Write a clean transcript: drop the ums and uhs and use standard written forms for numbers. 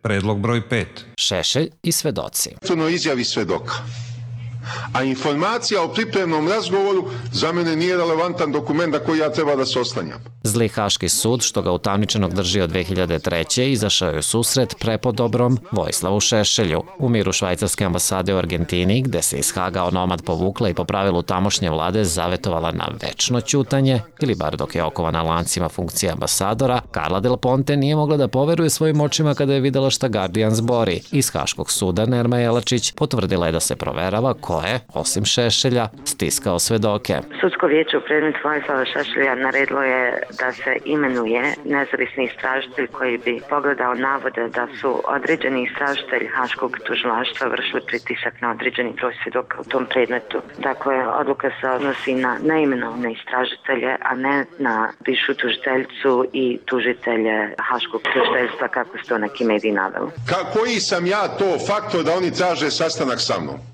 Predlog broj 5. Šešelj i svedoci. Izjavi svedoka. A informacija o pripremnom razgovoru za mene nije relevantan dokument na koji ja treba da se oslanjam. Zli Haški sud, što ga utamničenog drži od 2003. izašao je u susret prepodobrom Vojislavu Šešelju. U miru švajcarske ambasade u Argentini, gde se iz Haga onomad povukla i po pravilu tamošnje vlade zavetovala na večno ćutanje, ili bar dok je okovana lancima funkcije ambasadora, Carla Del Ponte nije mogla da poveruje svojim očima kada je videla šta Guardian zbori. Iz Haškog suda Nerma Jelačić potvrdila je da se proverava ko je, osim Šešelja, stiskao svedoke. Sudsko vijeće u predmetu Vojislava Šešelja naredilo je da se imenuje nezavisni istražitelj koji bi pogledao navode da su određeni istražitelj Haškog tužilaštva vršili pritisak na određeni broj svedoka u tom predmetu. Dakle, odluka se odnosi na neimenovane istražitelje, a ne na bivšu tužiteljicu i tužitelje Haškog tužiteljstva, kako su to neki mediji naveli. Koji sam ja to faktor da oni traže sastanak sa mnom?